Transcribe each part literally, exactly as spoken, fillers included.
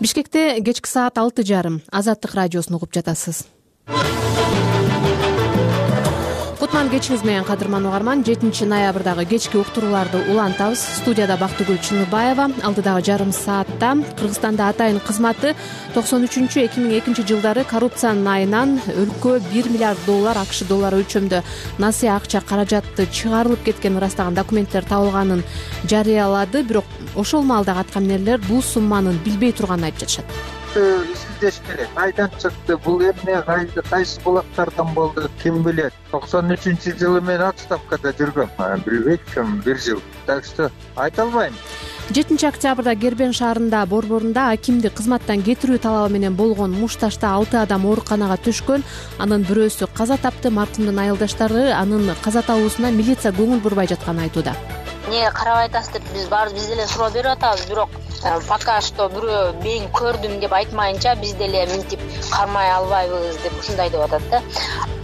Бишкекте кечки саат алты жарым Азаттык радиосун угуп жатасыз. Кутман кечиңиз менен кадырман угарман. жетинчи ноябрдагы кечки уктурууларды улантабыз. Студияда Бактыгүл Чыныбаева. Алдыдагы жарым саатта Кыргызстанда атайын кызматы токсон үчүнчү эки миң экинчи жылдары коррупциянын айынан өлкө бир миллиард доллар АКШ доллары өлчөмдө насыя акча каражатты чыгарылып кеткенин ырастаган документтер табылганын жарыялады. Бирок ошол маалдагы аткаминерлер бул сумманын билбей турганын айтып жатышат. Издеш керек. Кайдан чыкты, бул эмне, кайсы кайсы булактардан болду, ким билет. токсон үчүнчү жылы мен отставкада жүргөм. Билбейт ким, бир жыл. Так что айта албайм. жетинчи октябрда Гербен шаарында борборунда акимди кызматтан кетирүү талабы менен болгон мушташта алты адам ооруканага түшкөн. Анын бирөөсү каза тапты. Маркумдун айылдаштары анын каза табуусуна милиция көңүл бурбай жатканын айтууда. Эмнеге карабай атасыз деп биз баарыбыз биз деле суроо берип атабыз, бирок пока что бирөө мен көрдүм деп айтмайынча биз деле мынтип кармай албайбыз деп ушундай деп атат да.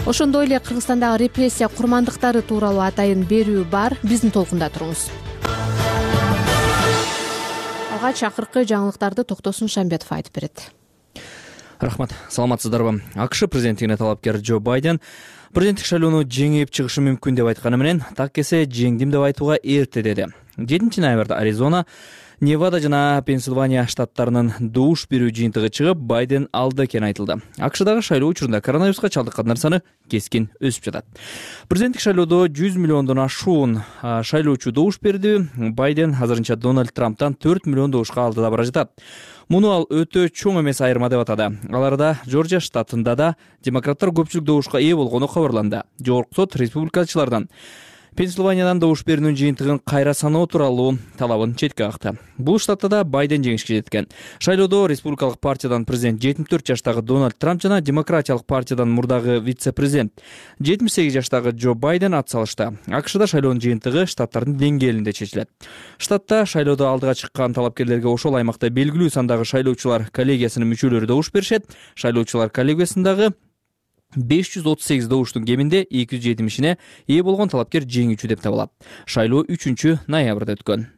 Ошондой эле Кыргызстандагы репрессия курмандыктары тууралуу атайын берүү бар. Биздин толкунда туруңуз. Алгач акыркы жаңылыктарды Токтосун Шамбетов айтып берет. Рахмат. Саламатсыздарбы? АКШ президенттигине талапкер Джо Байден президенттик шайлоону жеңип чыгышы мүмкүн деп айтканы менен так эсе жеңдим деп айтууга эрте деди. жетинчи ноябрда Аризона, Невада жана Пенсильвания штаттарынын добуш берүү жыйынтыгы чыгып, Байден алда экени айтылды. АКШдагы шайлоо учурунда коронавируска чалдыккандар саны кескин өсүп жатат. Президенттик шайлоодо жүз миллиондон ашуун шайлоочу добуш берди. Байден азырынча Дональд Трамптан төрт миллион добушка алдыда бара жатат. Муну ал өтө чоң эмес айырма деп атады. Аларда Жоржия штатында да демократтар көпчүлүк добушка ээ болгону кабарланды. Жогорку сот республикачылардан Пенсильваниядан добуш берүүнүн жыйынтыгын кайра саноо тууралуу талабын четке какты. Бул штатта да Байден жеңишке жеткен. Шайлоодо республикалык партиядан президент жетимиш төрт жаштагы Дональд Трамп жана демократиялык партиядан мурдагы вице-президент жетимиш сегиз жаштагы Джо Байден ат салышты. АКШда шайлоонун жыйынтыгы штаттардын деңгээлинде чечилет. Штатта шайлоодо алдыга чыккан талапкерлерге ошол аймакта белгилүү сандагы шайлоочулар коллегиясынын мүчөлөрү добуш беришет. Шайлоочулар коллегиясындагы беш жүз отуз сегиз добуштун кеминде эки жүз жетимишине ээ болгон талапкер жеңүүчү деп табылат. Шайлоо үчүнчү ноябрда өткөн.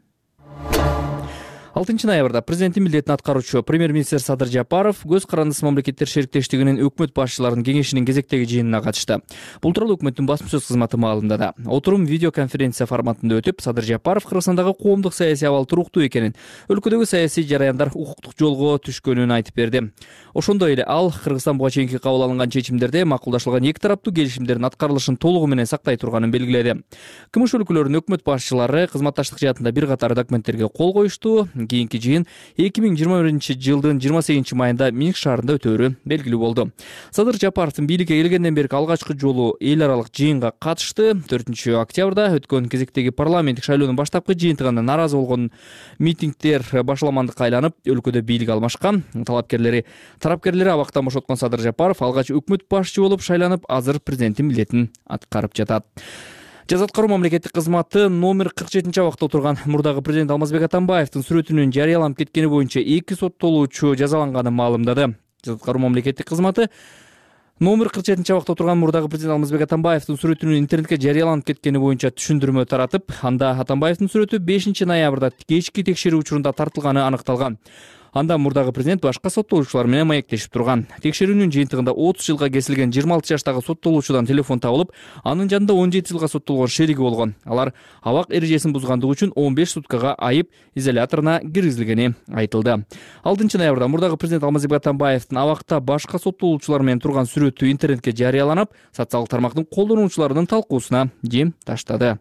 алтынчы ноябрда президенттин милдетин аткаруучу премьер-министр Садыр Жапаров көз карандысыз мамлекеттер шериктештигинин өкмөт башчыларынын кеңешинин кезектеги жыйынына катышты. Бул тууралуу өкмөттүн басма сөз кызматы маалымдады. Отурум видеоконференция форматында өтүп, Садыр Жапаров Кыргызстандагы коомдук саясий абал туруктуу экенин, өлкөдөгү саясий жараяндар укуктук жолго түшкөнүн айтып берди. Ошондой эле ал Кыргызстан буга чейинки кабыл алынган чечимдерде макулдашылган эки тараптуу келишимдердин аткарылышын толугу менен сактай турганын белгиледи. КМШ өлкөлөрүнүн өкмөт башчылары кызматташтык жаатында бир катар документтерге кол коюшту. Кийинки жыйын эки миң жыйырма биринчи жылдын жыйырма сегизинчи майында Минск шаарында өтөөрү белгилүү болду. Садыр Жапаровдун бийликке келгенден берки алгачкы жолу эл аралык жыйынга катышты. төртүнчү октябрда өткөн кезектеги парламенттик шайлоонун баштапкы жыйынтыгына нааразы болгон митингдер башаламандыкка айланып, өлкөдө бийлик алмашкан. Талапкерлери тарапкерлери абактан бошоткон Садыр Жапаров алгач өкмөт башчы болуп шайланып, азыр президенттин милдетин аткарып жатат. Жаза аткаруу мамлекеттик кызматы номер кырк жетинчи абакта отурган мурдагы президент Алмазбек Атамбаевдин сүрөтүнүн жарыяланып кеткени боюнча эки соттолуучу жазаланганын маалымдады. Жаза аткаруу мамлекеттик кызматы номер кырк жетинчи абакта отурган мурдагы президент Алмазбек Атамбаевдин сүрөтүнүн интернетке жарыяланып кеткени боюнча түшүндүрмө таратып, анда Атамбаевдин сүрөтү бешинчи ноябрда кечки текшерүү учурунда тартылганы аныкталган. Анда мурдагы президент башка соттолуучулар менен маектешип турган. Текшерүүнүн жыйынтыгында отуз жылга кесилген жыйырма алты жаштагы соттолуучудан телефон табылып, анын жанында он жети жылга соттолгон шериги болгон. Алар абак эрежесин бузгандыгы үчүн он беш суткага айып изоляторуна киргизилгени айтылды. алтынчы ноябрда мурдагы президент Алмазбек Атамбаевдин абакта башка соттолуучулар менен турган сүрөтү интернетке жарыяланып, социалдык тармактын колдонуучуларынын талкуусуна жем таштады.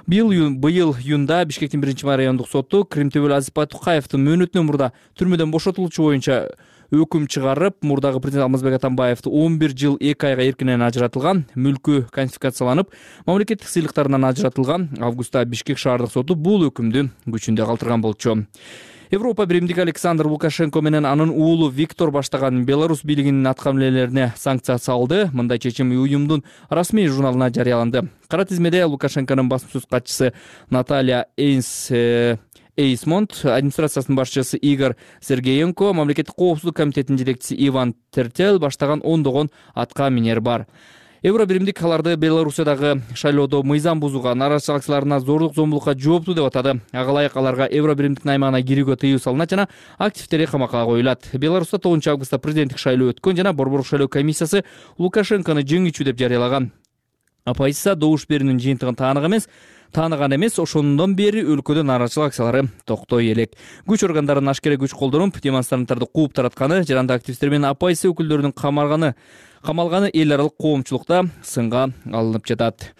Быйыл быйыл июнда Бишкектин биринчи райондук соту Кримтөбөл Азизбай Тукаевдин мөөнөтүнөн мурда түрмөдөн бошотулуучу боюнча өкүм чыгарып, мурдагы президент Алмазбек Атамбаевди он бир жыл эки айга эркинен ажыратылган, мүлкү конфискацияланып, мамлекеттик сыйлыктарынан ажыратылган. Августта Бишкек шаардык соту бул өкүмдү күчүндө калтырган болчу. Европа биримдиги Александр Лукашенко менен анын уулу Виктор баштаган Беларусь бийлигинин аткаминерлерине санкция салды. Мындай чечим уюмдун расмий журналына жарыяланды. Кара тизмеде Лукашенконун басма сөз катчысы Наталья Эйнс Эйсмонт, администрациясынын башчысы Игорь Сергеенко, мамлекеттик коопсуздук комитетинин жетекчиси Иван Тертел баштаган ондогон аткаминер бар. Евро биримдик аларды Белоруссиядагы шайлоодо мыйзам бузууга, нааразычылык акцияларына зордук зомбулукка жооптуу деп атады. Ага ылайык аларга Евро биримдиктин аймагына кирүүгө тыюу салынат жана активдери камакка коюлат. Беларусьта тогузунчу августта президенттик шайлоо өткөн жана Борборлук шайлоо комиссиясы Лукашенкону жеңүүчү деп жарыялаган. Оппозиция добуш берүүнүн жыйынтыгын таанык эмес, тааныган эмес, ошондон бери өлкөдө нааразычылык акциялары токтой элек. Күч органдарынын ашкере күч колдонуп, демонстранттарды кууп таратканы, жаранды активисттер менен оппозиция өкүлдөрүнүн камалганы, камалганы эл аралык коомчулукта сынга алынып жатат.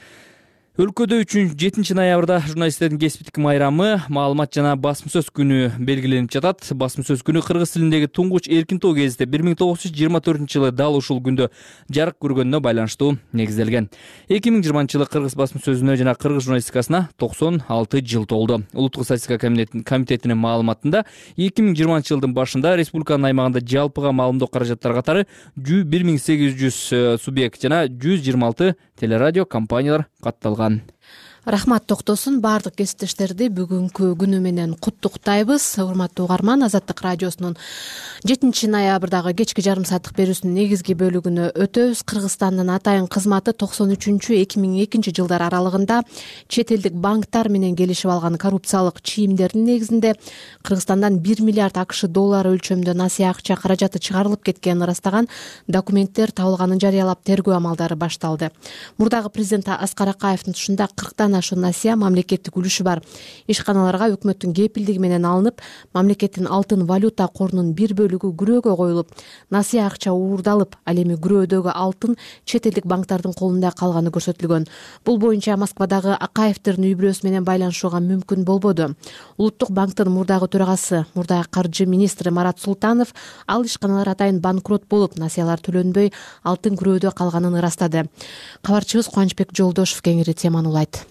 Өлкөдө үчүнчү жетинчи ноябрда журналисттердин кесиптик майрамы, маалымат жана басма сөз күнү белгиленип жатат. Басма сөз күнү кыргыз тилиндеги туңгуч эркин тоо гезити бир миң тогуз жүз жыйырма төртүнчү жылы дал ушул күндө жарык көргөнүнө байланыштуу негизделген. эки миң жыйырманчы жылы кыргыз басма сөзүнө жана кыргыз журналистикасына токсон алты жыл толду. Улуттук статистика комитетинин маалыматында эки миң жыйырманчы жылдын башында республиканын аймагында жалпыга маалымдоо каражаттары катары бир миң сегиз жүз субъект жана жүз жыйырма алты телерадио компаниялар катталган. Рахмат токтосун. Баардык кесиптештерди бүгүнкү күнү менен куттуктайбыз. Урматтуу угарман, Азаттык радиосунун жетинчи ноябрдагы кечки жарым сааттык берүүсүнүн негизги бөлүгүнө өтөбүз. Кыргызстандын атайын кызматы токсон үчүнчү эки миң экинчи жылдар аралыгында чет элдик банктар менен келишип алган коррупциялык чийимдердин негизинде Кыргызстандан бир миллиард акш доллары өлчөмүндө насыя акча каражаты чыгарылып кеткенин ырастаган документтер табылганын жарыялап, тергөө амалдары башталды. Мурдагы президент Аскар Акаевдин тушунда кырктан ашуун насыя мамлекеттик үлүшү бар ишканаларга өкмөттүн кепилдиги менен алынып, мамлекеттин алтын валюта корунун бир бөлүгү күрөөгө коюлуп, насыя акча уурдалып, ал эми күрөөдөгү алтын чет элдик банктардын колунда калганы көрсөтүлгөн. Бул боюнча Москвадагы Акаевдердин үй бүлөсү менен байланышууга мүмкүн болбоду. Улуттук банктын мурдагы төрагасы, мурдагы каржы министри Марат Султанов ал ишканалар атайын банкрот болуп, насыялар төлөнбөй, алтын күрөөдө калганын ырастады. Кабарчыбыз Кубанычбек Жолдошов кеңири теманы улайт.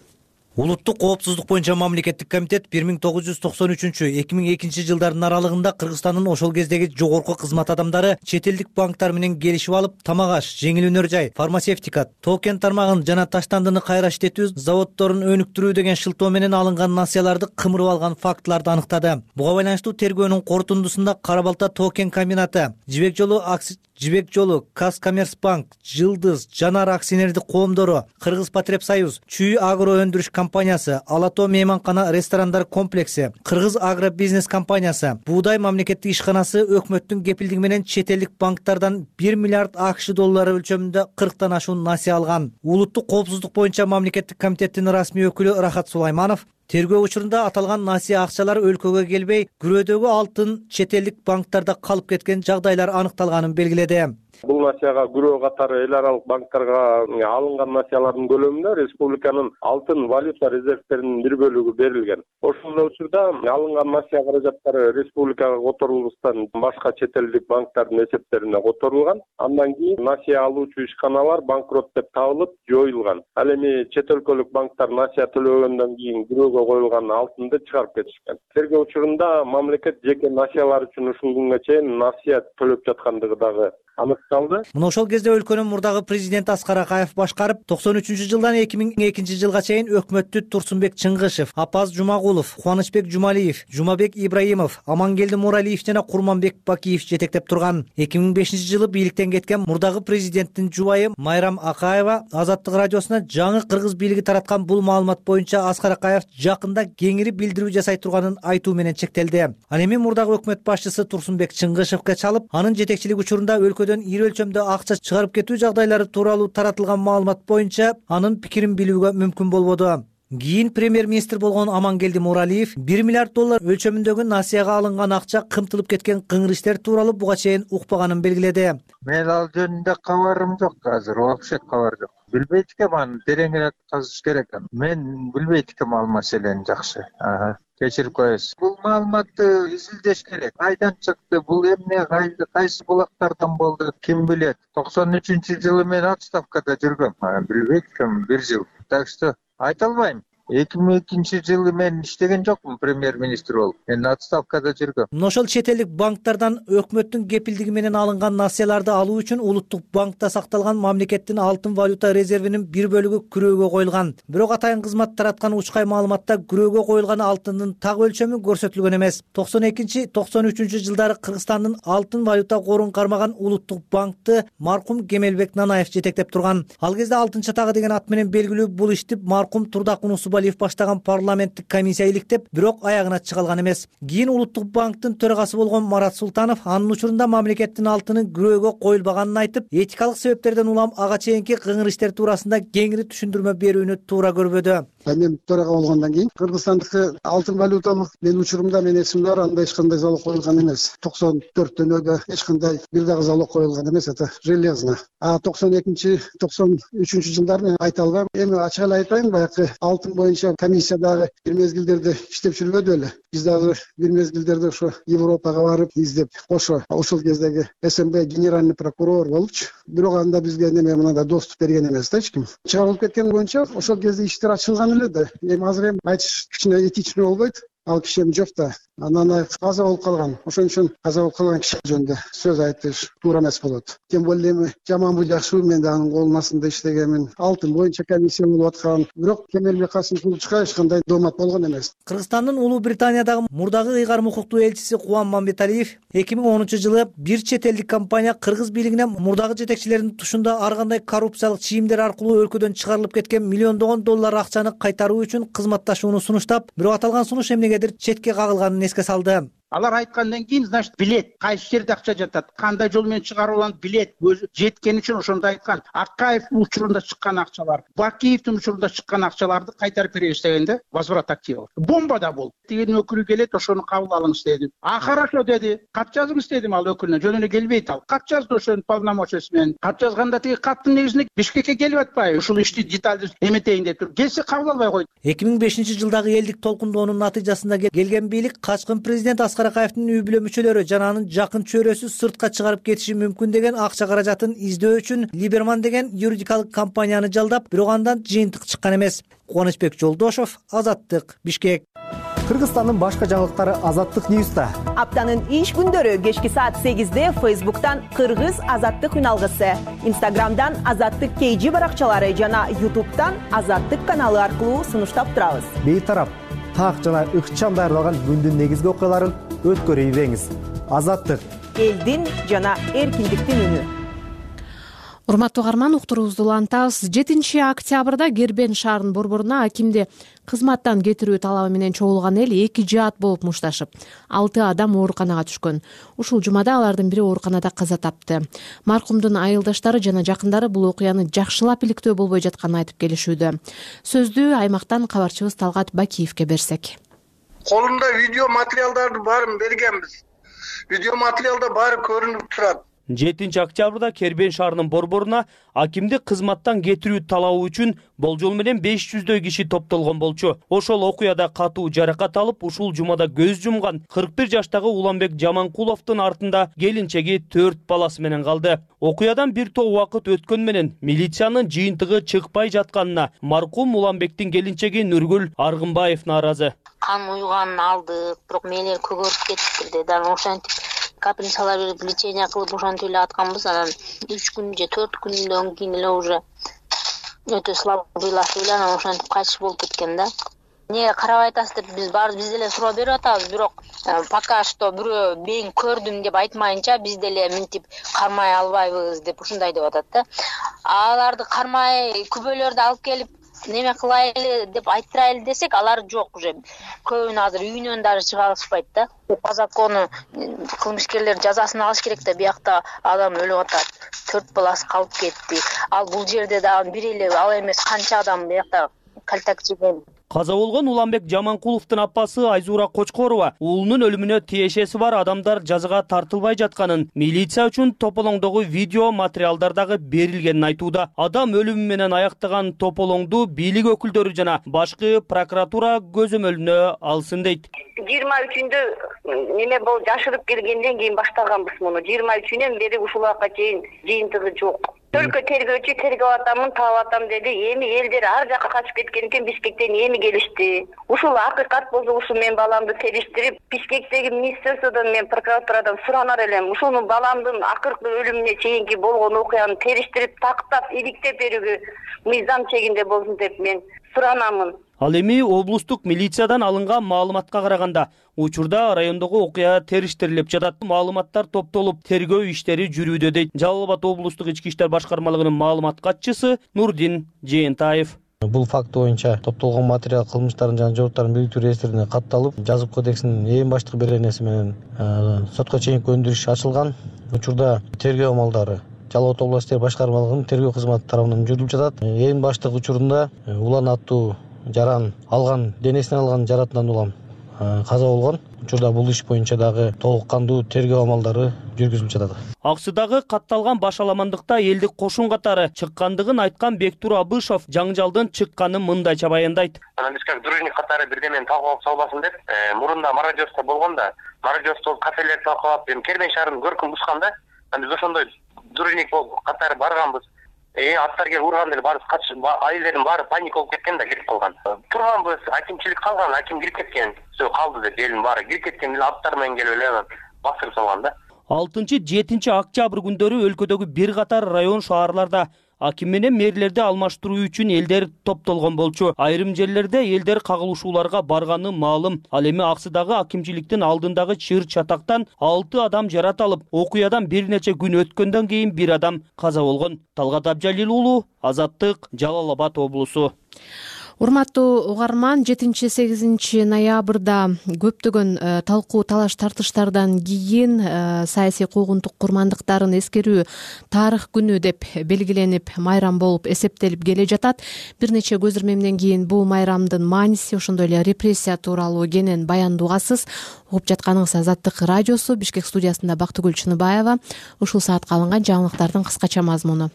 Улуттук коопсуздук боюнча мамлекеттик комитет бир миң тогуз жүз токсон үчүнчү — эки миң экинчи жылдардын аралыгында Кыргызстандын ошол кездеги жогорку кызмат адамдары чет элдик банктар менен келишип алып, тамак аш, жеңил өнөр жай, фармацевтика, тоо-кен тармагын жана таштандыны кайра иштетүү заводдорун өнүктүрүү деген шылтоо менен алынган насыяларды кымырып алган фактыларды аныктады. Буга байланыштуу тергөөнүн корутундусунда Кара Балта тоо-кен комбинаты, Жибек жолу акси Жибек жолу, Казкоммерцбанк, Жылдыз, Жанар акционердик коомдору, Кыргызпотребсоюз, Чүй агро өндүрүш компаниясы, Алато мейманкана ресторандар комплекси, Кыргыз агробизнес компаниясы, Буудай мамлекеттик ишканасы өкмөттүн кепилдиги менен чет элдик банктардан бир миллиард акш доллары өлчөмүндө кырктан ашуун насыя алган. Улуттук коопсуздук боюнча мамлекеттик комитеттин расмий өкүлү Рахат Сулайманов тергөө учурунда аталган насыя акчалар өлкөгө келбей, күрөөдөгү алтын чет элдик банктарда калып кеткен жагдайлар аныкталганын белгиледи. Бул насыяга күрөө катары эл аралык банктарга алынган насыялардын көлөмүндө республиканын алтын валюта резервтеринин бир бөлүгү берилген. Ошол эле учурда алынган насыя каражаттары республикага которулбастан башка чет элдик банктардын эсептерине которулган. Андан кийин насыя алуучу ишканалар банкрот деп табылып, жоюлган. Ал эми чет өлкөлүк банктар насыя төлөгөндөн кийин күрөөгө коюлган алтынды чыгарып кетишкен. Тергөө учурунда мамлекет жеке насыялар үчүн ушул күнгө чейин насыя төлөп жаткандыгы дагы аныкталды. Мына ошол кезде өлкөнүн мурдагы президенти Аскар Акаев башкарып, токсон үчүнчү жылдан эки миң экинчи жылга чейин өкмөттү Турсунбек Чыңгышев, Апаз Жумагулов, Кубанычбек Жумалиев, Жумабек Ибраимов, Амангелди Муралиев жана Курманбек Бакиев жетектеп турган. эки миң бешинчи жылы бийликтен кеткен мурдагы президенттин жубайы Майрам Акаева Азаттык радиосуна жаңы кыргыз бийлиги тараткан бул маалымат боюнча Аскар Акаев жакында кеңири билдирүү жасай турганын айтуу менен чектелди. Ал эми мурдагы өкмөт башчысы Турсунбек Чыңгышевке чалып, анын жетекчилиги учурунда өлкөдөн ири өлчөмдө акча чыгарып кетүү жагдайлары тууралуу таратылган маалымат боюнча анын пикирин билүүгө мүмкүн болбоду. Кийин премьер-министр болгон Амангелди Муралиев бир миллиард доллар өлчөмүндөгү насыяга алынган акча кымтылып кеткен кыңыр иштер тууралуу буга чейин укпаганын белгиледи. Мен ал жөнүндө кабарым жок азыр, вообще кабар жок. Билбейт экем, аны тереңирээк казыш керек. Мен билбейт экем ал маселени жакшы. Кечирип коесуз. Бул маалыматты изилдеш керек. Кайдан чыкты, бул эмне, кайсы булактардан болду, ким билет. токсон үчүнчү жылы мен отставкада жүргөм. Билбейт экем, бир жыл. Так что айта албайм. эки миң экинчи жылы мен иштеген жокмун премьер-министр болуп. Мен отставкада жүргөм. Мына ошол чет элдик банктардан өкмөттүн кепилдиги менен алынган насыяларды алуу үчүн Улуттук банкта сакталган мамлекеттин алтын валюта резервинин бир бөлүгү күрөөгө коюлган. Бирок атайын кызмат тараткан учкай маалыматта күрөөгө коюлган алтындын так өлчөмү көрсөтүлгөн эмес. токсон экинчи токсон үчүнчү жылдары Кыргызстандын алтын валюта корун кармаган Улуттук банкты маркум Кемелбек Нанаев жетектеп турган. Ал кезде алтын чатагы деген ат менен белгилүү бул ишти маркум Турдакун Усубалиев баштаган парламенттик комиссия иликтеп, бирок аягына чыга алган эмес. Кийин Улуттук банктын төрагасы болгон Марат Султанов анын учурунда мамлекеттин алтынын күрөөгө коюлбаганын айтып, этикалык себептерден улам ага чейинки кыңыр иштер туурасында кеңири түшүндүрмө берүүнү туура көрбөдү. Мен төрага болгондон кийин Кыргызстандыкы алтын валюталык менин учурумда мен эсимде бар, анда эч кандай залог коюлган эмес. токсон төрттөн эч кандай бир дагы залог коюлган эмес, это железно. А токсон экинчи токсон үчүнчү жылдары мен айта албайм. Эми ачык эле айтайын, баягы алтын боюнча комиссия дагы бир мезгилдерде иштеп жүрбөдү эле. Биз дагы бир мезгилдерде ошо Европага барып издеп, ошо ошол кездеги СМБ генеральный прокурор болчу. Бирок анда бизге неме мындай доступ берген эмес да эч ким. Чыгарылып кеткен боюнча ошол кезде иштер ачылган эле да. Эми азыр эми айтыш кичине этичный болбойт. Ал киши эми жок да. Анан каза болуп калган. Ошон үчүн каза болуп калган киши жөнүндө сөз айтыш туура эмес болот. Тем более эми жаманбы жакшыбы мен да анын колунун астында иштегенмин. Алтын боюнча комиссия болуп аткан. Бирок Кемелбек Касымовичка эч кандай доомат болгон эмес. Кыргызстандын Улуу Британиядагы мурдагы ыйгарым укуктуу элчиси Кубан Мамбеталиев эки миң онунчу жылы бир чет элдик компания кыргыз бийлигине мурдагы жетекчилердин тушунда ар кандай коррупциялык чийимдер аркылуу өлкөдөн чыгарылып кеткен миллиондогон доллар акчаны кайтаруу үчүн кызматташууну сунуштап, бирок аталган сунуш эмнегедир четке кагылганын эске салды. Алар айткандан кийин, значит, билет, кайсы жерде акча жатат, кандай жол менен чыгарылган билет, өзү жеткен үчүн ошондо айткан. Акаевдин учурунда чыккан акчалар, Бакиевдин учурунда чыккан акчаларды кайтарып беребиз дегенде, возврат активов. Бомба да болду. Тигин өкүлү келет, ошону кабыл алыңыз деди. А хорошо деди. Кат жазыңыз дедим ал өкүлүнө. Жөн эле келбейт ал. Кат жазды ошонун полномочиясы менен. Кат жазганда тиги каттын негизинде Бишкекке келип атпайбы? Ушул ишти деталдуу эметейин деп тур. Келсе кабыл албай койду. эки миң бешинчи жылдагы элдик толкундоонун натыйжасында келген бийлик качкын президент Аскар Акаевдин үй бүлө мүчөлөрү жана анын жакын чөйрөсү сыртка чыгарып кетиши мүмкүн деген акча каражатын издөө үчүн Либерман деген юридикалык компанияны жалдап, бирок андан жыйынтык чыккан эмес. Кубанычбек Жолдошов, Азаттык, Бишкек. Кыргызстандын башка жаңылыктары Азаттык Ньюста. Аптанын иш күндөрү кечки саат сегизде Фейсбуктан Кыргыз Азаттык үналгысы, Инстаграмдан Азаттык кей жи баракчалары жана Ютубтан Азаттык каналы аркылуу сунуштап турабыз. Бейтарап, так жана ыкчам даярдалган күндүн негизги окуяларын өткөрүп ийбеңиз. Азаттык, элдин жана эркиндиктин үнү. Урматтуу угарман, уктуруубузду улантабыз. жетинчи октябрда Кербен шаарынын борборуна акимди кызматтан кетирүү талабы менен чогулган эл эки жаат болуп мушташып, алты адам ооруканага түшкөн. Ушул жумада алардын бири ооруканада каза тапты. Маркумдун айылдаштары жана жакындары бул окуяны жакшылап иликтөө болбой жатканын айтып келишүүдө. Сөздү аймактан кабарчыбыз Талгат Бакиевке берсек. Колумда видео материалдарды баарын бергенбиз. Видео материалда баары көрүнүп турат. жетинчи октябрда Кербен шаарынын борборуна акимди кызматтан кетирүү талабы үчүн болжол менен беш жүздөй киши топтолгон болчу. Ошол окуяда катуу жаракат алып, ушул жумада көз жумган кырк бир жаштагы Уланбек Жаманкуловдун артында келинчеги төрт баласы менен калды. Окуядан бир топ убакыт өткөн менен милициянын жыйынтыгы чыкпай жатканына маркум Уланбектин келинчеги Нургүл Аргынбаев нааразы. Кан уйганын алдык, бирок мээлер көгөрүп кетиптир деди. Анан ошентип капельницалар берип лечение кылып ошентип эле атканбыз. Анан үч күн же төрт күндөн кийин эле уже өтө слабыйлашып эле анан ошентип кайтыш болуп кеткен да. Эмнеге карабай атасыз деп биз баарыбыз биз деле суроо берип атабыз, бирок пока что бирөө мен көрдүм деп айтмайынча биз деле мынтип кармай албайбыз деп ушундай деп атат да. Аларды кармай күбөлөрдү алып келип неме кылайлы деп айттырайлы десек, алар жок уже. Көбүн азыр үйүнөн дагы чыга алышпайт да. По закону кылмышкерлер жазасын алыш керек да, биякта адам өлүп атат. Төрт баласы калып кетти. Ал бул жерде дагы бир эле ал эмес канча адам биякта калтак жеген. Каза болгон Уланбек Жаманкуловдун апасы Айзура Кочкорова уулунун өлүмүнө тиешеси бар адамдар жазага тартылбай жатканын, милиция үчүн тополоңдогу видео материалдар дагы берилгенин айтууда. Адам өлүмү менен аяктаган тополоңду бийлик өкүлдөрү жана башкы прокуратура көзөмөлүнө алсын дейт. жыйырма үчүндө неме болуп жашырып келгенден кийин баштаганбыз муну. жыйырма үчүнөн бери ушул убакка чейин жыйынтыгы жок. Өлкө тергөөчү тергеп атамын, таап атам деди. Эми элдер ар жакка качып кеткен экен, Бишкектен эми келишти. Ушул акыйкат болсо ушул мен баламды териштирип, Бишкектеги министерстводон мен прокуратурадан суранар элем. Ушунун баламдын акыркы өлүмүнө чейинки болгон окуяны териштирип, тактап, иликтеп берүүгө мыйзам чегинде болсун деп мен суранамын. Ал эми облустук милициядан алынган маалыматка караганда, учурда райондогу окуя териштирилип жатат. Маалыматтар топтолуп, тергөө иштери жүрүүдө дейт Жалал Абад облустук ички иштер башкармалыгынын маалымат катчысы Нурдин Жээнтаев. Бул факт боюнча топтолгон материал кылмыштардын жана жооптардын бириктирүү реестрине катталып, жазып кодексинин эң баштык беренеси менен сотко чейинки өндүрүш ачылган. Учурда тергөө амалдары Жалал Абад облустук иштер башкармалыгынын тергөө кызматы тарабынан жүрүлүп жатат. Эң баштык учурунда улан аттуу жаран алган, денесине алган жаратынан улам каза болгон. Учурда бул иш боюнча дагы толук кандуу тергөө амалдары жүргүзүлүп жатат. Аксыдагы катталган башаламандыкта элдик кошун катары чыккандыгын айткан Бектур Абышов жаңжалдын чыкканын мындайча баяндайт. Анан биз как дружник катары бирдемени талкуулап салбасын деп, мурунда мародерство болгон да, мародерство кафелерди талкуулап, эми Кербен шаарынын көркүн бушканда, биз ошондой дружник болуп катары барганбыз. Э, аттар келип урган эле баарыбыз качып, айылдардын баары паник болуп кеткен да, кетип калган. Турганбыз, акимчилик калган, аким кирип кеткен. Всё калды деп, элдин баары кирип кеткен эле аттар менен келип эле басырып салган да. алтынчы жетинчи октябрь күндөрү өлкөдөгү бир катар район шаарларда аким менен мэрлерди алмаштыруу үчүн элдер топтолгон болчу. Айрым жерлерде элдер кагылышууларга барганы маалым. Ал эми Аксыдагы акимчиликтин алдындагы чыр чатактан алты адам жаратылып, окуядан бир нече күн өткөндөн кийин бир адам каза болгон. Талгат Абжалил уулу, Азаттык, Жалал Абад облусу. Урматтуу угарман, жетинчи сегизинчи ноябрда көптөгөн талкуу талаш тартыштардан кийин саясий куугунтук курмандыктарын эскерүү тарых күнү деп белгиленип, майрам болуп эсептелип келе жатат. Бир нече көз ирмемден кийин бул майрамдын мааниси, ошондой эле репрессия тууралуу кенен баяндуугасыз. Угуп жатканыңыз Азаттык радиосу, Бишкек студиясында Бактыгүл Чыныбаева. Ушул саатка алынган жаңылыктардын кыскача мазмуну.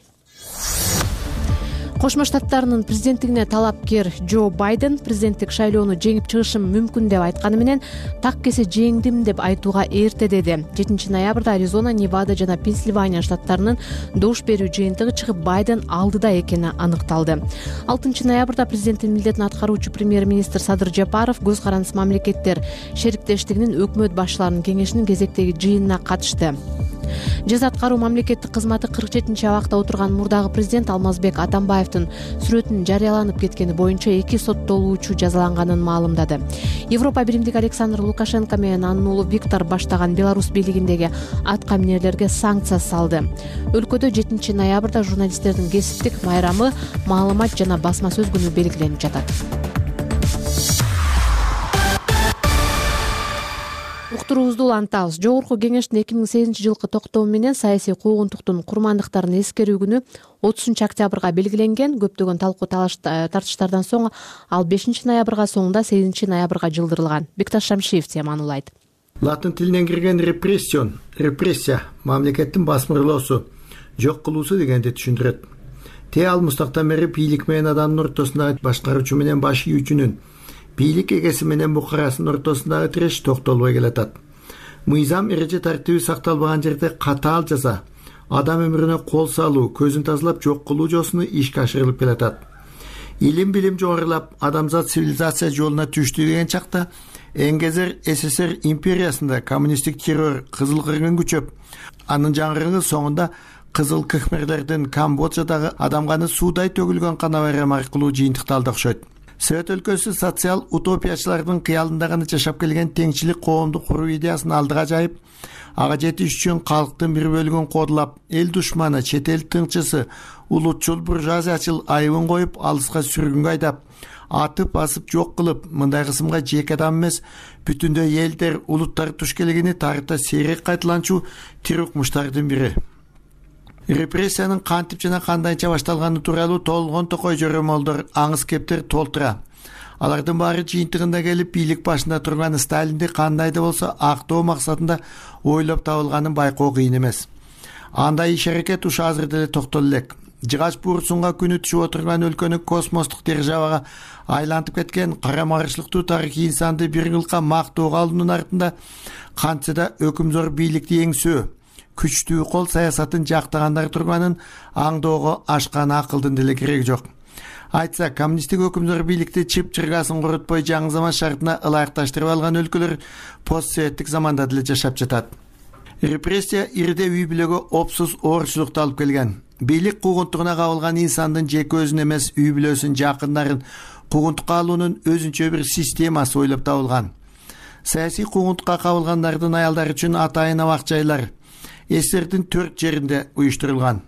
Кошмо Штаттарынын президенттигине талапкер Джо Байден президенттик шайлоону жеңип чыгышым мүмкүн деп айтканы менен так кесе жеңдим деп айтууга эрте деди. жетинчи ноябрда Аризона, Невада жана Пенсильвания штаттарынын добуш берүү жыйынтыгы чыгып, Байден алдыда экени аныкталды. алтынчы ноябрда президенттин милдетин аткаруучу премьер-министр Садыр Жапаров Көз карандыс мамлекеттер шериктештигинин өкмөт башчыларынын кеңешинин кезектеги жыйынына катышты. Жаза аткаруу мамлекеттик кызматы кырк жетинчи абакта отурган мурдагы президент Алмазбек Атамбаевдин сүрөтүнүн жарыяланып кеткени боюнча эки соттолуучу жазаланганын маалымдады. Европа биримдиги Александр Лукашенко менен анын уулу Виктор баштаган Беларусь бийлигиндеги атка минерлерге санкция салды. Өлкөдө жетинчи ноябрда журналисттердин кесиптик майрамы, маалымат жана басма сөз күнү белгиленип жатат. Уктуруубузду улантабыз. Жогорку кеңештин эки миң сегизинчи жылкы токтому менен саясий куугунтуктун курмандыктарын эскерүү күнү отузунчу октябрга белгиленген. Көптөгөн талкуу талаш тартыштардан соң ал бешинчи ноябрга, соңунда сегизинчи ноябрга жылдырылган. Бекташ Шамшиев теманы улайт. Латын тилинен кирген репрессион, репрессия мамлекеттин басмырлоосу, жок кылуусу дегенди түшүндүрөт. Те ал мустактан бери бийлик менен адамдын ортосундагы башкаруучу менен баш ийүүчүнүн, бийлик эгеси менен букарасынын ортосундагы тиреш токтолбой келатат. Мыйзам эреже тартиби сакталбаган жерде катаал жаза, адам өмүрүнө кол салуу, көзүн тазалап жок кылуу жолсуну ишке ашырылып келатат. Илим билим жогорулап, адамзат цивилизация жолуна түштү деген чакта Энгезер СССР империясында коммунисттик террор кызыл кыргын күчөп, анын жаңырыгы соңунда кызыл кхмерлердин Камбоджадагы адам каны суудай төгүлгөн кана байрам аркылуу жыйынтыкталды окшойт. Совет өлкөсү социал утопиячылардын кыялында гана жашап келген теңчилик коомду куруу идеясын алдыга жайып, ага жетиш үчүн калктын бир бөлүгүн кодулап, эл душманы, чет эл тыңчысы, улутчул буржуазиячыл айыбын коюп, алыска сүргүнгө айдап, атып басып жок кылып, мындай кысымга жеке адам эмес, бүтүндөй элдер, улуттар туш келгени тарыхта сейрек кайталанчу тирукмуштардын бири. Репрессиянын кантип жана кандайча башталганы тууралуу толгон токой жөрөмөлдөр, аңыз кептер толтура. Алардын баары жыйынтыгында келип, бийлик башында турган Сталинди кандай да болсо актоо максатында ойлоп табылганын байкоо кыйын эмес. Андай иш-аракет ушу азыр деле токтоло элек. Жыгач буурсунга күнү түшүп отурган өлкөнү космостук державага айлантып кеткен карама-каршылыктуу тарыхый инсанды бир кылка мактоого алуунун артында кантса да өкүмзор бийликти эңсөө, күчтүү кол саясатын жактагандар турганын аңдоого ашкан акылдын деле кереги жок. Айтса, коммунисттик өкүмдөр бийликти чып-чыргасын курутпой жаңы заман шартына ылайыкташтырып алган өлкөлөр постсоветтик заманда деле жашап жатат. Репрессия ирде үй бүлөгө опсуз оорчулукту алып келген. Бийлик куугунтугуна кабылган инсандын жеке өзүн эмес, үй бүлөсүн, жакындарын куугунтукка алуунун өзүнчө бир системасы ойлоп табылган. Саясий куугунтукка кабылгандардын аялдары үчүн атайын абак жайлар СССРдин төрт жеринде уюштурулган.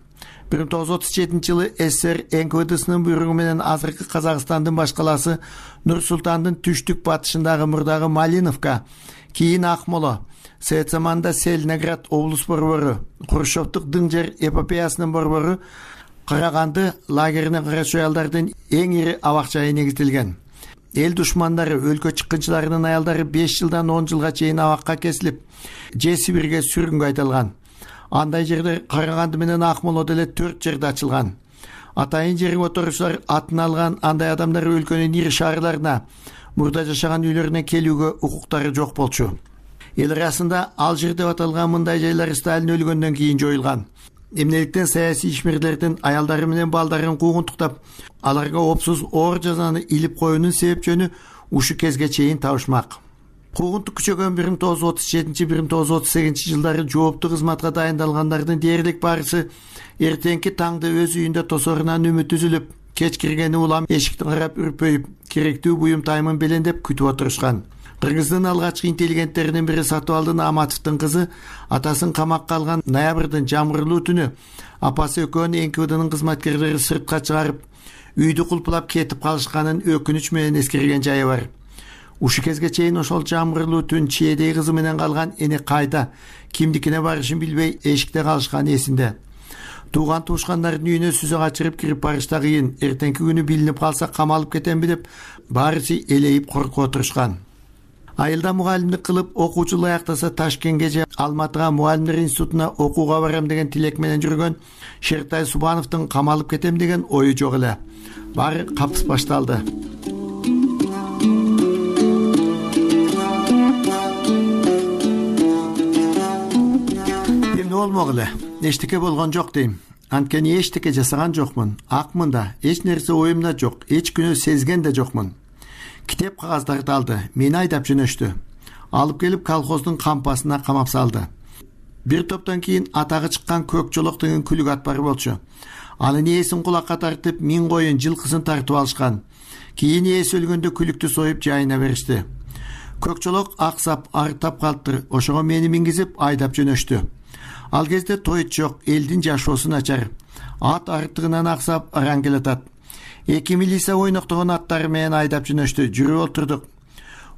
бир миң тогуз жүз отуз жетинчи жылы СССР эн ка вэ дсынын буйругу менен азыркы Казакстандын баш калаасы Нур-Султандын түштүк батышындагы мурдагы Малиновка, кийин Акмола, Совет заманында Селиноград облус борбору, Хрущевдук дың жер эпопеясынын борбору Караганды лагерине карачу аялдардын эң ири абак жайы негизделген. Эл душмандары, өлкө чыккынчыларынын аялдары беш жылдан он жылга чейин абакка кесилип, же Сибирге сүргүнгө айдалган. Андай жерде Караганды менен Акмола деле төрт жерде ачылган. Атайын жерге отурушуулар атын алган андай адамдар өлкөнүн ири шаарларына, мурда жашаган үйлөрүнө келүүгө укуктары жок болчу. Эл арасында Алжир деп аталган мындай жайлар Сталин өлгөндөн кийин жоюлган. Эмнеликтен саясий ишмерлердин аялдары менен балдарын куугунтуктап, аларга опсуз оор жазаны илип коюунун себеп жөнү ушу кезге чейин табышмак. Куугунтук күчөгөн бир миң тогуз жүз отуз жетинчи — бир миң тогуз жүз отуз сегизинчи жылдары жооптуу кызматка дайындалгандардын дээрлик барысы эртеңки таңды өз үйүндө тосорунан үмүт үзүлүп, кеч киргени улам эшикти карап үрпөйүп, керектүү буюм таймын белендеп күтүп отурушкан. Кыргыздын алгачкы интеллигенттеринин бири Сатыбалдын Аматовдун кызы атасын камакка алган ноябрдын жамгырлуу түнү апасы экөөнү эн ка вэ днын кызматкерлери сыртка чыгарып, үйдү кулпулап кетип калышканын өкүнүч менен эскерген жайы бар. Ушу кезге чейин ошол жамгырлуу түн чиедей кызы менен калган эне кайда, кимдикине барышын билбей эшикте калышканы эсинде. Тууган туушкандардын үйүнө сүзө качырып кирип барыш да кыйын. Эртеңки күнү билинип калса камалып кетемби деп баарысы элейип коркуп отурушкан. Айылда мугалимдик кылып, окуучу аяктаса Ташкентке же Алматыга мугалимдер институтуна окууга барам деген тилек менен жүргөн Шертай Субановдун камалып кетем деген ою жок эле. Баары капыс башталды. Эмне болмок эле? Эчтеке болгон жок дейм. Анткени эчтеке жасаган жокмун. Акмын да, эч нерсе оюмда жок, эч күнөө сезген да жокмун. Китеп кагаздарды алды, мени айдап жөнөштү. Алып келип колхоздун кампасына камап салды. Бир топтон кийин атагы чыккан көк жолок деген күлүк ат бар болчу. Анын ээсин кулакка тартып, миң коюн жылкысын тартып алышкан. Кийин ээси өлгөндө күлүктү союп жайына беришти. Көк жолок аксап, арыктап калыптыр. Ошого мени мингизип айдап жөнөштү. Ал кезде тоyut жок, элдин жашоосу начар. Ат арыктыгынан аксап, араң келатат. Эки милиция ойноктогон аттары менен айдап жөнөштү. Жүрүп отурдук.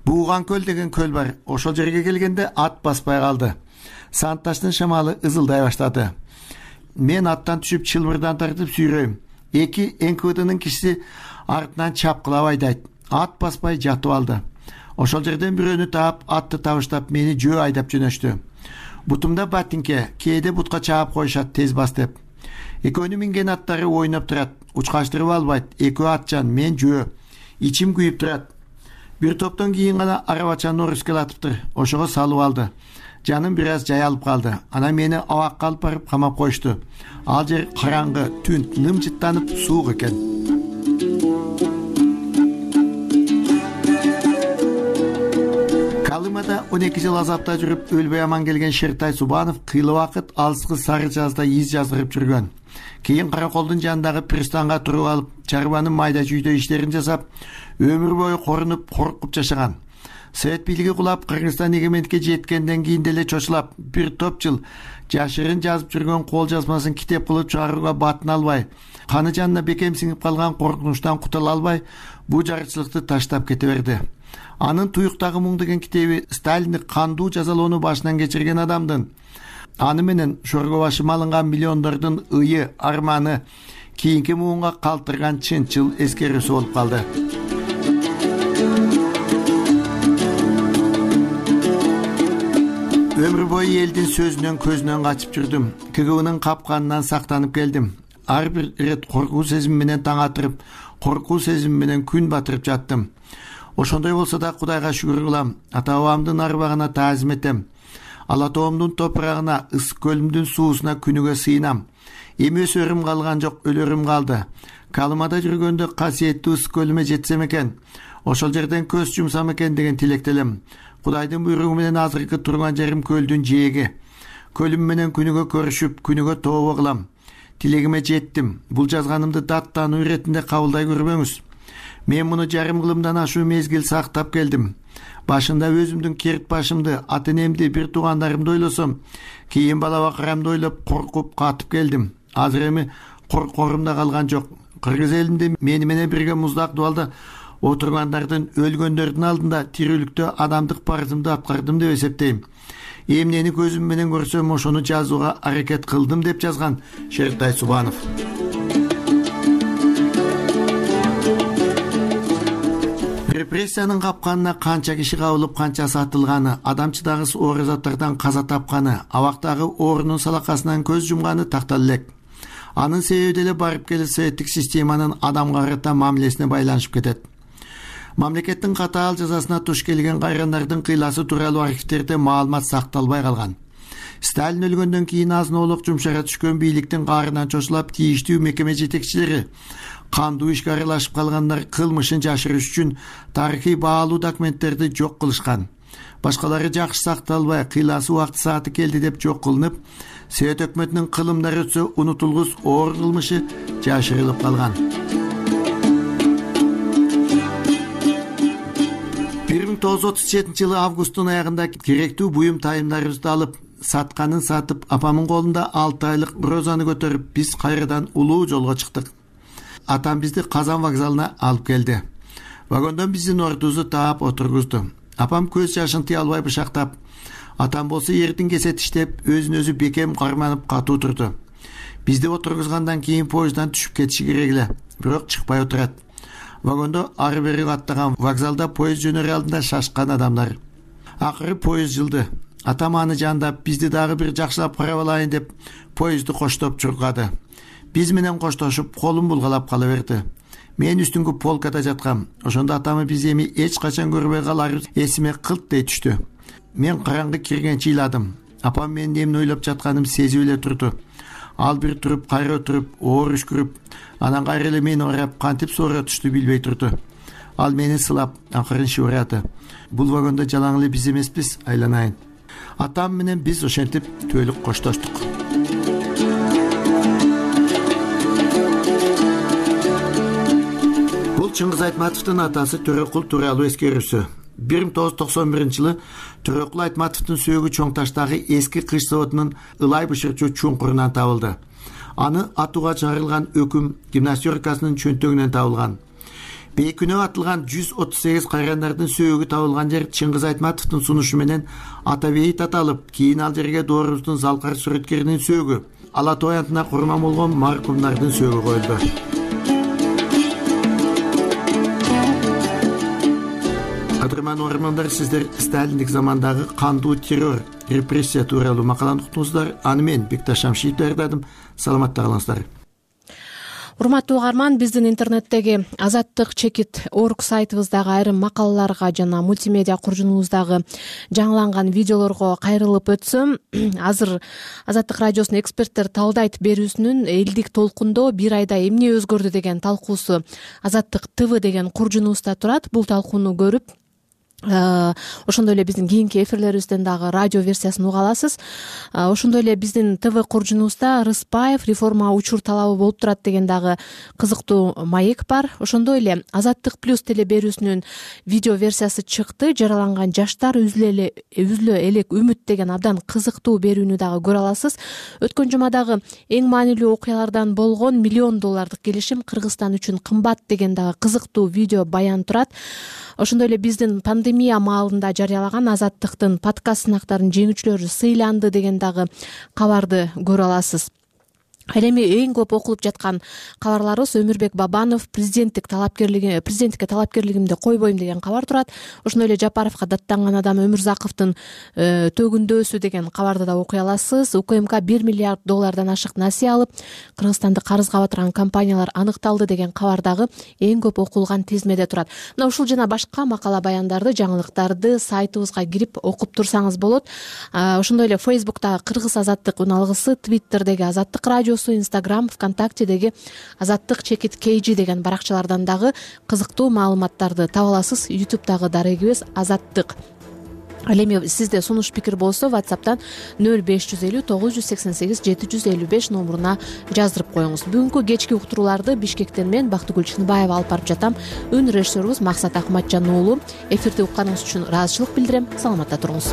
Бууган көл деген көл бар. Ошол жерге келгенде ат баспай калды. Санташтын шамалы ызылдай баштады. Мен аттан түшүп чылбырдан тартып сүйрөйм. Эки эн ка вэ днын кишиси артынан чапкылап айдайт. Ат баспай жатып алды. Ошол жерден бирөөнү таап, атты табыштап мени жөө айдап жөнөштү. Бутумда батинке, кээде бутка чаап коюшат тез бас деп. Экөөнү минген аттары ойноп турат. Учкаштырып албайт. Экөө атчан, мен жөө. Ичим күйүп турат. Бир топтон кийин гана арабачаны оруске латыптыр. Ошого салып алды. Жаным бир аз жаялып калды. Ана мени абакка алып барып камап коюшту. Ал жер караңгы, түн, нымжыттанып суук экен. Калымада он эки жыл азапта жүрүп өлбөй аман келген Шертай Субанов кыйла убакыт алыскы Сары Жазда из жаздырып жүргөн. Кийин Караколдун жанындагы пристанга туруп алып, чарбанын майда жүйдө иштерин жасап, өмүр бою корунуп, коркуп жашаган. Совет бийлиги кулап, Кыргызстан эгемендикке жеткенден кийин деле чочулап, бир топ жыл жашырын жазып жүргөн кол жазмасын китеп кылып чыгарууга батын албай, каны жанына бекем сиңип калган коркунучтан кутула албай, бул жарычылыкты таштап кете берди. Анын Туюктагы муң деген китеби Сталинди кандуу жазалоону башынан кечирген адамдын, аны менен шорго башы малынган миллиондордун ыйы, арманы кийинки муңга калтырган чынчыл эскерүүсү болуп калды. Өмүр бою элдин сөзүнөн көзүнөн качып жүрдүм. К Г Б'нын капканынан сактанып келдим. Ар бир ирет коркуу сезими менен таң атырып, коркуу сезими менен күн батырып жаттым. Ошондой болсо да Кудайга шүгүр кылам. Ата бабамдын арбагына таазим этем. ала тоомдун топурагына, ысык көлүмдүн суусуна күнүгө сыйынам. Эми өсөрүм калган жок, өлөрүм калды. Калымада жүргөндө касиеттүү ысык көлүмө жетсем экен, ошол жерден көз жумсам экен деген тилектелем. Кудайдын буйругу менен азыркы турган жерим көлдүн жээги. Көлүм менен күнүгө көрүшүп, күнүгө тообо кылам. Тилегиме жеттим. Бул жазганымды даттануу иретинде кабылдай көрбөңүз. Мен муну жарым кылымдан ашуу мезгил сактап келдим. Башында өзүмдүн керт башымды, ата-энемди, бир туугандарымды ойлосом, кийин бала бакырамды ойлоп коркуп катып келдим. Азыр эми коркорум да калган жок. Кыргыз элинде мени менен бирге муздак дубалда отургандардын, өлгөндөрдүн алдында тирүүлүктө адамдык парызымды аткардым деп эсептейм. Эмнени көзүм менен көрсөм, ошону жазууга аракет кылдым деп жазган Шериктай Субанов. Репрессиянын капканына канча киши кабылып, канчасы атылганы, адамчыдагы оор заттардан каза тапканы, абактагы оорунун салакасынан көз жумганы тактала элек. Анын себеби деле барып келе советтик системанын адамга карата мамилесине байланышып кетет. Мамлекеттин катаал жазасына туш келген кайрандардын кыйласы тууралуу архивтерде маалымат сакталбай калган. Сталин өлгөндөн кийин азын-оолук жумшара түшкөн бийликтин каарынан чочулап, тийиштүү мекеме жетекчилери кандуу ишке аралашып калгандар кылмышын жашырыш үчүн тарыхый баалуу документтерди жок кылышкан. Башкалары жакшы сакталбай, кыйласы убакты сааты келди деп жок кылынып, Совет өкмөтүнүн кылымдары өтсө унутулгус оор кылмышы жашырылып калган. бир миң тогуз жүз отуз жетинчи жылы августтун аягында керектүү буюм тайымдарыбызды алып, сатканын сатып, апамдын колунда алты айлык розаны көтөрүп, биз кайрадан улуу жолго чыктык. Атам бизди Казан вокзалына алып келди. Вагондон биздин ордубузду таап отургузду. Апам көз жашын тыя албай бышактап, атам болсо эрдин кесе тиштеп, өзүн өзү бекем карманып катуу турду. Бизди отургузгандан кийин поезддан түшүп кетиши керек эле, бирок чыкпай отурат. Вагондо ары бери каттаган, вокзалда поезд жөнөр алдында шашкан адамдар. Акыры поезд жылды. Атам аны жандап, бизди дагы бир жакшылап карап алайын деп поездди коштоп чуркады. Биз менен коштошуп, колун булгалап кала берди. Мен үстүнгү полкада жаткам. Ошондо атамы биз эми эч качан көрбөй каларыбыз эсиме кылт дей түштү. Мен караңгы киргенче ыйладым. Апам менин эмне ойлоп жатканым сезип эле турду. Ал бир туруп, кайра отуруп, оор үшкүрүп, анан кайра эле мени урап, кантип сооратышту билбей турду. Ал мени сылап, акырын шыбырады. Бул вагондо жалаң эле биз эмеспиз, айланайын. Атам менен биз ошентип түбөлүк коштоштук. Бул Чыңгыз Айтматовдун атасы Төрөкул тууралуу эскерүүсү. бир миң тогуз жүз токсон биринчи жылы Төрөкул Айтматовдун сөөгү Чоң Таштагы эски кыш заводунун ылай бышырчу чуңкурунан табылды. Аны атууга чыгарылган өкүм гимнастеркасынын чөнтөгүнөн табылган. Бейкүнөө атылган жүз отуз сегиз кайрандардын сөөгү табылган жер Чыңгыз Айтматовдун сунушу менен ата бейит аталып, кийин ал жерге доорубуздун залкар сүрөткеринин сөөгү, Ала Тоо аянтына курман болгон маркумдардын сөөгү коюлду. Кадырман угармандар, сиздер Сталиндик замандагы кандуу террор, репрессия тууралуу макаланы уктуңуздар. Аны мен Бекташ Шамшиев даярдадым. Саламатта калыңыздар. Урматтуу угарман, биздин интернеттеги Азаттык чекит орг сайтыбыздагы айрым макалаларга жана мультимедиа куржунубуздагы жаңыланган видеолорго кайрылып өтсөм, азыр Азаттык радиосунун эксперттер талдайт берүүсүнүн элдик толкундо бир айда эмне өзгөрдү деген талкуусу Азаттык ТВ деген куржунубузда турат. Бул талкууну көрүп, ошондой эле биздин кийинки эфирлерибизден дагы радио версиясын уга аласыз. Ошондой эле биздин ТВ куржунубузда Рыспаев реформа учур талабы болуп турат деген дагы кызыктуу маек бар. Ошондой эле Азаттык плюс теле берүүсүнүн видео версиясы чыкты. Жараланган жаштар үзүлө элек үмүт деген абдан кызыктуу берүүнү дагы көрө аласыз. Өткөн жумадагы эң маанилүү окуялардан болгон миллион доллардык келишим Кыргызстан үчүн кымбат деген дагы кызыктуу видео баян турат. Ошондой эле биздин пандемия маалында жарыялаган Азаттыктын подкаст сынактарынын жеңүүчүлөрү сыйланды деген дагы кабарды көрө аласыз. Ал эми эң көп окулуп жаткан кабарларыбыз Өмүрбек Бабанов президенттик талапкерлиги президенттикке талапкерлигимди койбойм деген кабар турат. Ошондой эле Жапаровго даттанган адам Өмүрзаковдун төгүндөсү деген кабарды да окуй аласыз. УКМК бир миллиард доллардан ашык насыя алып, Кыргызстанды карызга батырган компаниялар аныкталды деген кабар дагы эң көп окулган тизмеде турат. Мына ушул жана башка макала баяндарды, жаңылыктарды сайтыбызга кирип окуп турсаңыз болот. Ошондой эле Фейсбуктагы Кыргыз азаттык үналгысы, Твиттердеги Азаттык радиосу, Инстаграм, ВКонтактедеги Азаттык чекит кейжи деген баракчалардан дагы кызыктуу маалыматтарды таба аласыз. Ютубтагы дарегибиз Азаттык. Ал эми сизде сунуш пикир болсо WhatsApp'тан нөл беш жүз элүү тогуз жүз сексен сегиз жети жүз элүү беш номуруна жаздырып коюңуз. Бүгүнкү кечки уктурууларды Бишкектен мен Бактыгүл Чыныбаева алып барып жатам. Үн режиссерубуз Максат Акматжан уулу. Эфирди укканыңыз үчүн ыраазычылык билдирем. Саламатта туруңуз.